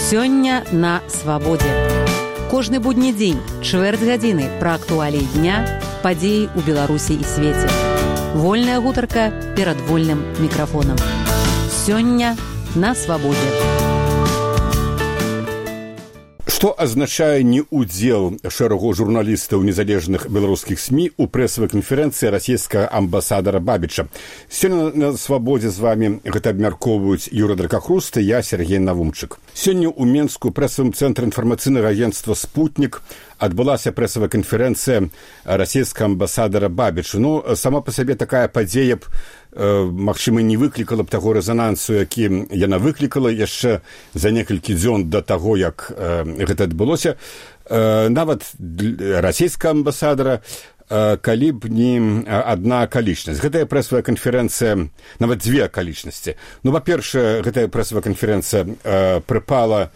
Сёння на свабодзе. Кожны будні дзень, чвэрць гадзіны пра актуаліі дня, падзеі ў Беларусі і свеце. Вольная гутарка перад вольным мікрафонам. Сёння на свабодзе. Што азначае неудзел шэрагу журналістаў незалежных беларускіх СМІ ў прэсавай канферэнцыі расійскага амбасадара Бабіча? Сёння на свабодзе з вамі гэта абмяркоўваюць Юра Дракахруст і я, Сергей Навумчык. Сёння ў Менску прэсавым цэнтры інфармацыйнага агенцтва «Спутнік» адбылася прэсавая канферэнцыя расійскага амбасадара Бабіча. Сама па сабе такая падзея б магчыма, не выклікала б таго рэзанансу, які яна выклікала яшчэ за некалькі дзён да таго, як гэта адбылося. Нават расійскага амбасадара, калі б не адна акалічнасць. Гэтая прэсавая канферэнцыя, нават дзве акалічнасці. Па-першае, гэтая прэсавая канферэнцыя прыпала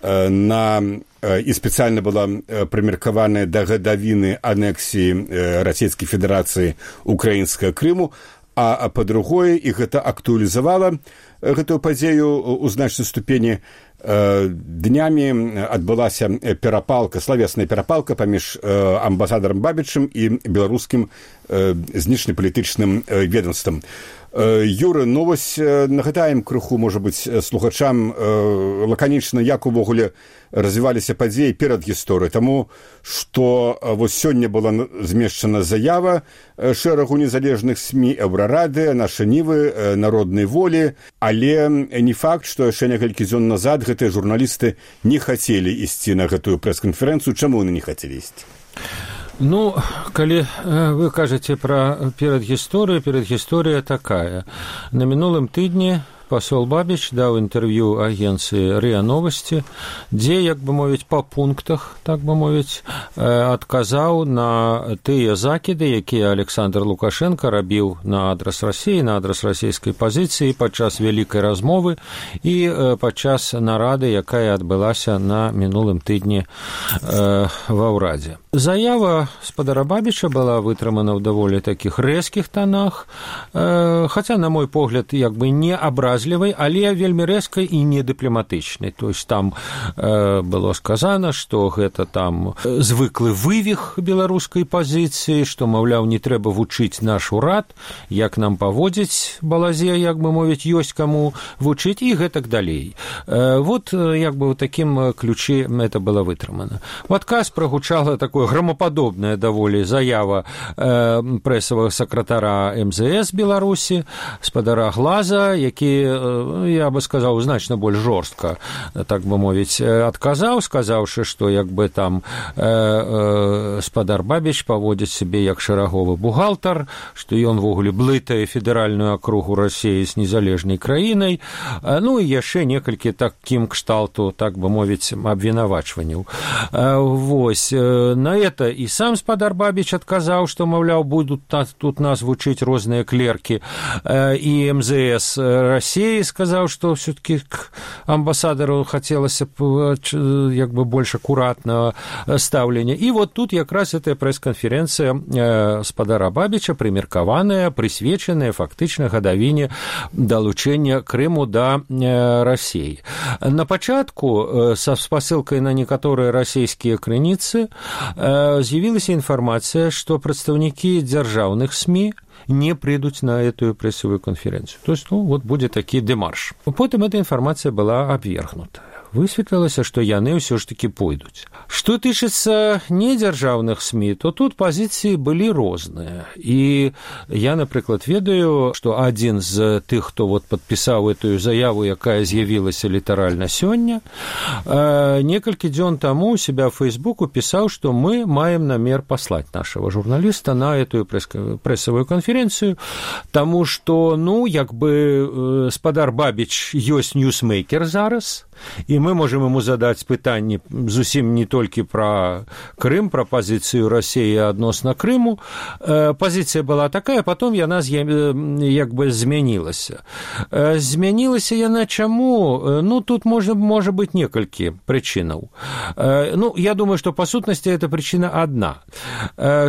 і спецыяльна была прымеркаваная да гадавіны анексіі Расійскай Федэрацыі ўкраінскага Крыму, а па-другое, і гэта актуалізавала гэтую падзею ў значнай ступені. Днямі адбылася перапалка, славесная перапалка паміж амбасадарам Бабічым і беларускім знешнепалітычным ведомствам. Юра, вось нагадаем крыху, можа быць, слухачам лаканічна, як увогуле развіваліся падзеі перад гісторыяй. Таму, што вось сёння была змешчана заява шэрагу незалежных СМІ, Еўрарады, Наша Нівы, Народнай волі, але не факт, што яшчэ некалькі дзён назад гэтыя журналісты не хацелі ісці на гэтую прэс-канферэнцыю. Чаму яны не хацелі ісці? Калі вы кажаце пра перадгісторыя такая. На мінулым тыдні пасол Бабіч даў інтэрв'ю агенцыі РИА Новости, дзе, як бы мовіць, па пунктах, так бы мовіць, адказаў на тыя закіды, якія Александр Лукашенко рабіў на адрас Расіі, на адрас расійскай пазіцыі падчас вялікай размовы і падчас нарады, якая адбылася на мінулым тыдні ва ўрадзе. Заява спадара Бабіча была вытрымана ў даволі такіх рэзкіх тонах, хаця, на мой погляд, як бы не абразлівай, але вельмі рэзкай і недыпламатычнай. То есть там было сказано, што гэта там звыклы вывіх беларускай пазіцыі, што, маўляў, не трэба вучыць наш урад, як нам паводзіць балазе, як бы мовіць, ёсць каму вучыць і гэтак далей. Вот, як бы, ў такім ключы это было вытрымана. У адказ прагучала такое громападобная даволі заява прэсавага сакратара МЗС Беларусі, спадара Глаза, які, я бы сказаў, значна больш жорстка, так бы мовіць, адказаў, сказаўшы, што як бы там спадар Бабіч паводзіць сябе як шэраговы бухгалтар, што ён вогуле блытае федэральную акругу Расіі з незалежнай краінай, і яшчэ некалькі такім кшталту, так бы мовіць, абвінавачванняў. Вось, на это і сам спадар Бабіч адказаў, што, маўляў, будуць тут нас вучыць розныя клеркі, і МЗС Расіі сказаў, што все-таки к амбасадару хацелася б як бы больш акуратнага стаўлення. І вот тут якраз эта прэс-канферэнцыя спадара Бабіча прымеркаваная, прысвечаная фактычна гадавіне далучэння Крыму да Расіі. На пачатку, са спасылкай на некаторыя расійскія крыніцы, з'явілася інфармацыя, што прадстаўнікі дзяржаўных СМІ не придут на эту прессовую конференцию. То есть, вот будет такі дэмарш. Потым эта информация была абвергнута. Высветлілася, што яны ўсё ж такі пойдуць. Што тычыцца недзяржаўных СМІ, то тут пазіцыі былі розныя. І я, напрыклад, ведаю, што адзін з тых, хто вот падпісаў эту заяву, якая з'явілася літаральна сёння, некалькі дзён таму у себя в Фейсбуку пісаў, што мы маем намер паслаць нашего журналіста на эту прэсавую канферэнцыю, таму што, як бы спадар Бабіч ёсць ньюсмейкер зараз, і мы можем ему задать пытанне зусім не толькі пра Крым, пра пазіцыю Расіі адносна Крыму. Пазіцыя была такая, потом яна як бы змянілася. Змянілася яна чаму? Тут можа быць некалькі прычынаў. Я думаю, што па сутнасці эта прычына адна,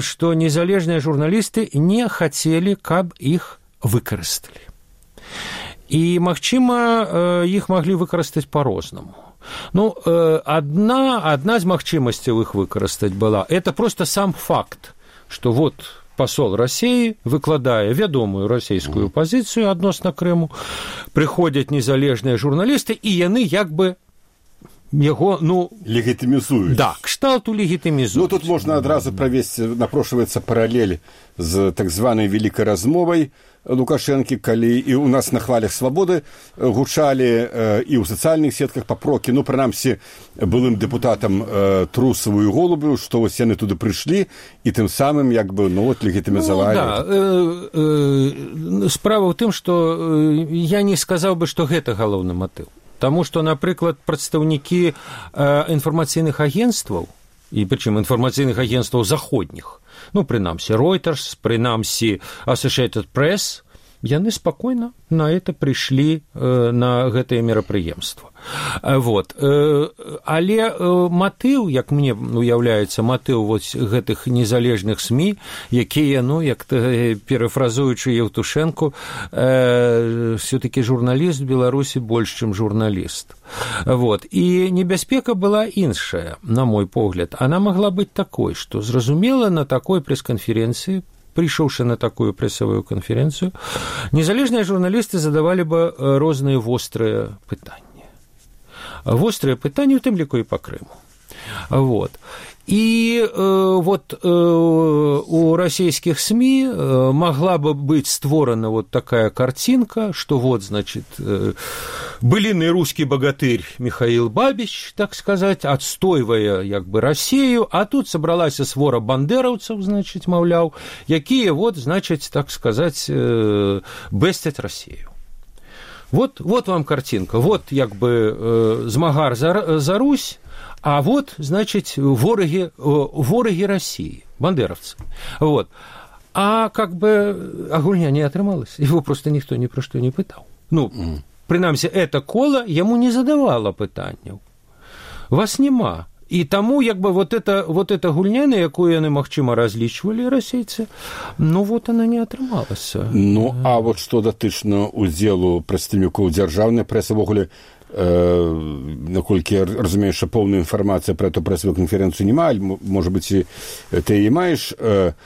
што незалежныя журналісты не хацелі, каб іх выкарысталі. І, магчыма, іх маглі выкарыстаць па-рознаму. Ну, одна з магчымасцяў іх выкарыстаць была, это просто сам факт, што вот пасол Расіі выкладае вядомую расійскую пазіцыю адносна Крыму, прыходзяць незалежныя журналісты, і яны як бы яго, легітымізуюць. Да, кшталту легітымізуюць. Тут можна адразу правесці, напрошваецца паралель з так званай вялікай размовай Лукашэнкі, калі і ў нас на хвалях свабоды гучалі і ў сацыяльных сетках папрокі, прынамсі, былым дэпутатам Трусаву і Голубю, што вось яны туды прыйшлі і тым самым легітымізавалі. Справа ў тым, што я не сказаў бы, што гэта галоўны матыў. Таму што, напрыклад, прадстаўнікі інфармацыйных агенцтваў, і прычым інфармацыйных агенцтваў заходніх, прынамсі Reuters, прынамсі Associated Press, яны спакойна на это прыйшлі на гэтае мерапрыемства. Вот. Але матыў, як мне уяўляецца, матыў вось гэтых незалежных СМІ, якія, як перафразуючы Евтушенко, все-таки журналіст в Беларусі больш, чым журналіст. Вот. І небяспека была іншая, на мой погляд. Она могла быць такой, што зразумела на такой прэс-канферэнцыі, прыйшоўшы на такую прэсавую канферэнцыю, незалежныя журналісты задавалі бы розныя вострыя пытанні. Вострыя пытанні, у тым ліку і па Крыму. Вот. І у расійскіх СМІ могла бы быць створана вот такая картинка, что вот, значит, былиный русский богатырь Михаил Бабич, так сказать, отстойвая як бы Россию, а тут собралась свора бандераўцаў, значит, маўляў, якія вот, значит, так сказать, бэсцяць Россию. Вот вам картинка, вот як бы змагар за Русь, а вот, значит, вороги России, бандеровцы. Вот. А как бы агульня не атрымалась, его просто никто ни про что не пытал. Прынамсі, это кола ему не задавало пытанняў. Вас нема. І таму, як бы, вот эта гульня, на якую яны, магчыма, разлічвалі расейцы, вот она не атрымалася. А вот што датычна ўдзелу прадстаўнікоў дзяржаўнай прэсы, ввогуле, наколькі я разумею, што поўная інфармацыя пра эту прэсавую канферэнцыю няма, можа быць, і ты і маеш, а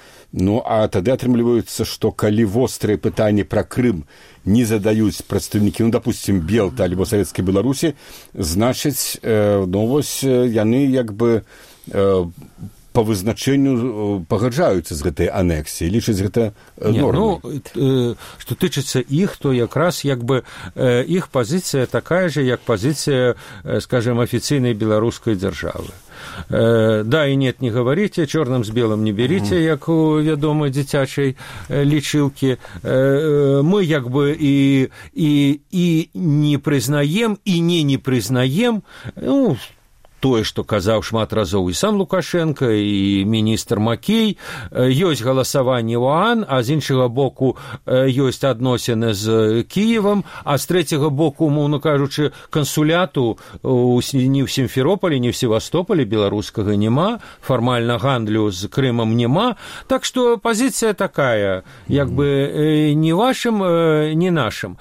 тады атрымліваецца, што калі вострыя пытанні пра Крым не задаюць прадстаўнікі, допустим, Белта альбо Савецкай Беларусі, значыць, вось яны як бы по вызначэнню пагаджаюцца з гэтай анексіяй, лічаць гэта нормай. Што тычыцца іх, то якраз як бы іх пазіцыя такая же, як пазіцыя, скажем, афіцыйнай беларускай дзяржавы. Да и нет, не говорите, черным с белым не берите, як у вядомай дзіцячай лічылкі. Мы як бы и не прызнаем, и не прызнаем, тое, што казаў шмат разоў і сам Лукашенко, і міністр Макей, ёсць галасаванне ў ОАН, а з іншага боку ёсць адносіны з Кіевам, а з трэцяга боку, умоўна кажучы, кансуляту ні ў Сімферополі, ні ў Севастополі беларускага няма, фармальна гандлю з Крымам няма, так што пазіцыя такая, як бы ні вашым, ні нашым.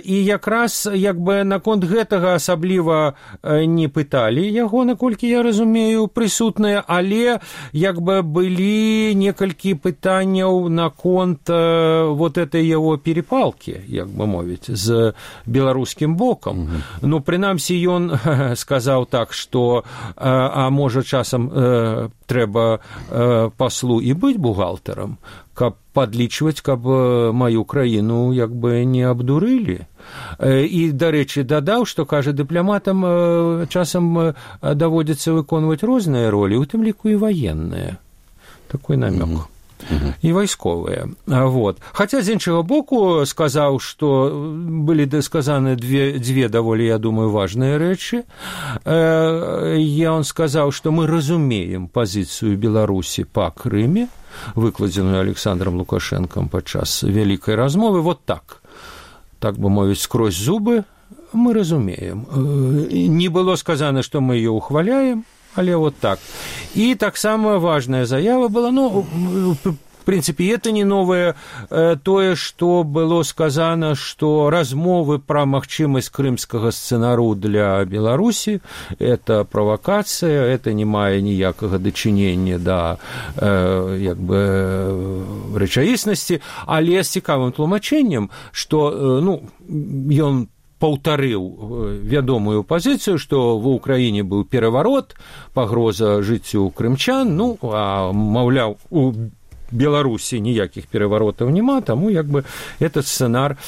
І якраз як бы наконт гэтага асабліва не пыталі яго, наколькі я разумею, прысутныя, але як бы былі некалькі пытанняў наконт вот этой яго перепалкі, як бы мовіць, з беларускім бокам. Прынамсі, ён сказаў так, што можа часам трэба паслу і быць бухгалтарам, каб падлічваць, каб маю краіну як бы не абдурылі. І, дарэчы, дадаў, што, кажа, дыпламатам часам даводзіцца выконваць розныя ролі, у тым ліку і ваенныя. Такой намёк. І вайсковыя. Вот. Хаця, з іншага боку, сказаў, што былі сказаны дзве даволі, я думаю, важныя рэчы. Ён сказаў, што мы разумеем пазіцыю Беларусі па Крыме, выкладзеную Александром Лукашенком падчас вялікай размовы, вот так. Так бы мовіць, скрозь зубы, мы разумеем. Не было сказано, што мы ее ухваляем, але вот так. І таксама важная заява была, принципе, это не новое. Тое, что было сказано, что размовы про магчымасць крымскага сцэнару для Беларусі – это правакацыя, это не мае ніякага дачынення да рэчаіснасці, але з цікавым тлумачэннем, што ён паўтарыў вядомую пазіцыю, што ва ўкраіне быў пераварот, пагроза жыццю крымчан, а маўляў, у Беларусі ніякіх пераваротаў няма, таму этот сцэнар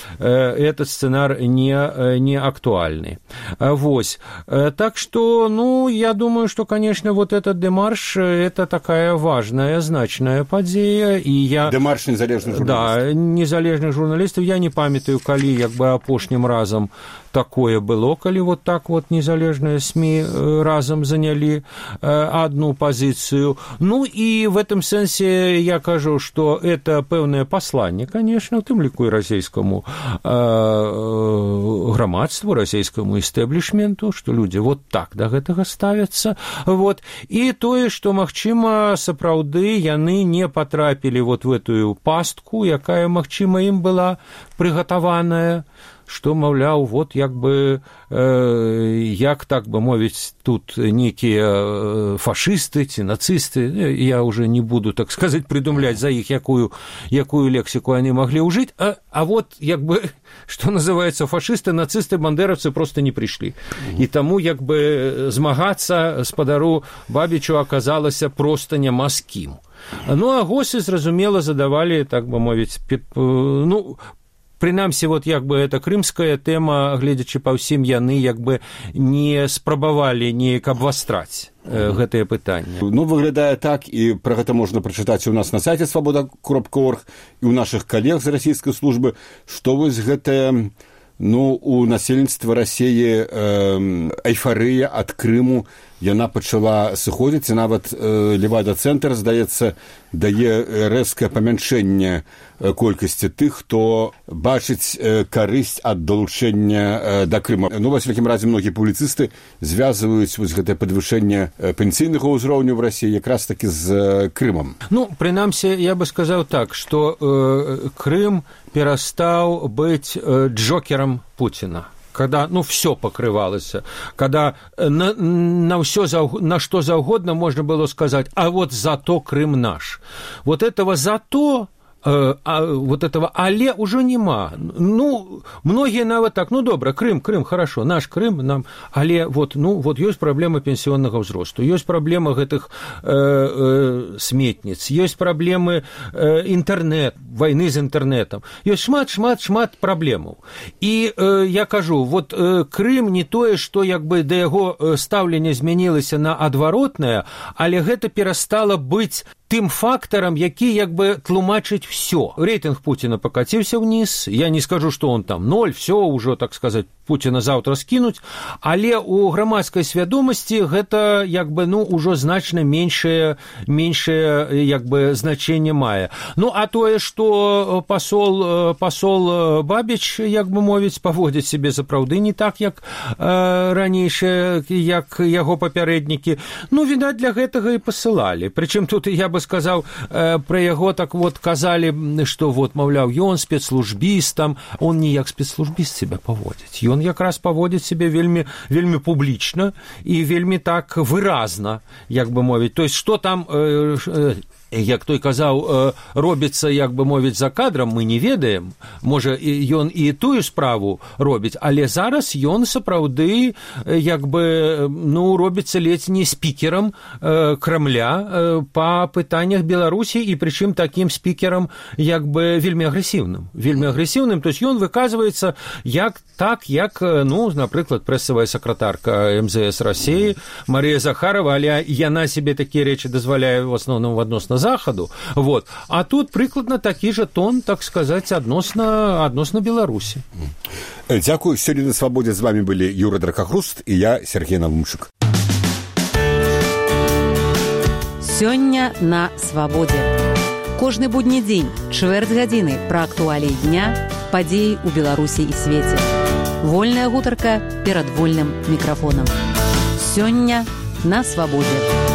не актуальны. Вось. Так што, я думаю, што, конечно, вот этот дэмарш – это такая важная, значная падзея. Дэмарш незалежных журналістаў. Да, незалежных журналістаў. Я не памятаю, калі апошнім разам такое было, калі вот так вот незалежныя СМИ разом заняли одну позицию. И в этом сенсе я кажу, что это пэўнае пасланне, конечно, у тым ліку і расійскаму грамадству, расійскаму истеблишменту, что люди вот так до гэтага ставятся. Вот. И тое, что, магчыма, сапраўды яны не потрапілі вот в эту пастку, якая, магчыма, ім была прыгатаваная, што, маўляў, вот як так бы мовіць, тут некія фашысты ці нацысты, я уже не буду, так сказать, придумлять за іх, якую лексику они могли ўжыць, а вот, что называется, фашисты, нацисты, бандеровцы просто не пришли. И тому, змагацца спадару Бабічу аказалася просто няма з кім. А госы, зразумела, задавали, так бы мовіць, прынамсі, вот эта крымская тэма, гледзячы па ўсім, яны не спрабавалі неяк абвастраць гэтае пытанне. Выглядае так, і пра гэта можна прачытаць у нас на сайце свабода.орг і ў нашых калег з расійскай службы, што вось гэтая, у насельніцтва Расіі эйфарыя ад Крыму, яна пачала сыходзіць, і нават Левада-цэнтр, здаецца, дае рэзкае памяншэнне колькасці тых, хто бачыць карысць ад далучэння да Крыма. Ва всякім разе, многія публіцысты звязваюць вось гэтае падвышэнне пенсійнага ўзроўню в Расіі якраз такі з Крымам. Прынамсі, я бы сказаў так, што Крым перастаў быць джокером Путина. Когда, все покрывалось, когда на что заўгодна можно было сказать, а вот зато Крым наш. Вот этого зато, вот этого але уже нема. Многие нават так, добра, Крым, хорошо, наш Крым, нам, але вот есть проблема пенсионного взросту, есть проблема гэтых сметниц, есть проблемы интернет, войны з интернетом, есть шмат проблемаў. И я кажу, вот Крым не тое, что да яго стаўленне змянілася на адваротнае, але гэта перастала быць тым фактарам, які тлумачыць все. Рейтинг Путина покатился вниз, я не скажу, что он там 0, все уже, так сказать, Путина завтра скинуть, але у грамадской свядомости гэта уже значно меньшее значение мае. А тое, что посол Бабіч, мовіць, поводит себе сапраўды не так, як ранейшие, як яго папярэднікі. Відаць, для гэтага и посылали. Причем тут, я бы сказал, про яго так вот казали, что вот, маўляў, ён спецслужбістам, он не як спецслужбіст себя поводит. Ён якраз поводит себе вельмі публічна і вельмі так выразна, мовіць. То есть, что там, як той казаў, робіцца, мовіць, за кадрам, мы не ведаем. Можа, ён і тую справу робіць, але зараз ён сапраўды, робіцца ледзь не спікерам Крамля па пытаннях Беларусі, і прычым такім спікерам, вельмі агрэсіўным. То есть, ён выказваецца як, напрыклад, прэсавая сакратарка МЗС России Мария Захарова, але яна себе такія рэчы дазваляе в основном адносна Захаду. Вот. А тут прыкладна такі же тон, так сказать, адносна Беларусі. Дзякую. Сёння на Свабодзе з вами былі Юра Дракахруст і я, Сергей Навумчык. Сёння на Свабодзе. Кожны будні дзень, чвэрць гадзіны пра актуаліі дня, падзеі ў Беларусі і свеце. Вольная гутарка перад вольным мікрафонам. Сёння на Свабодзе.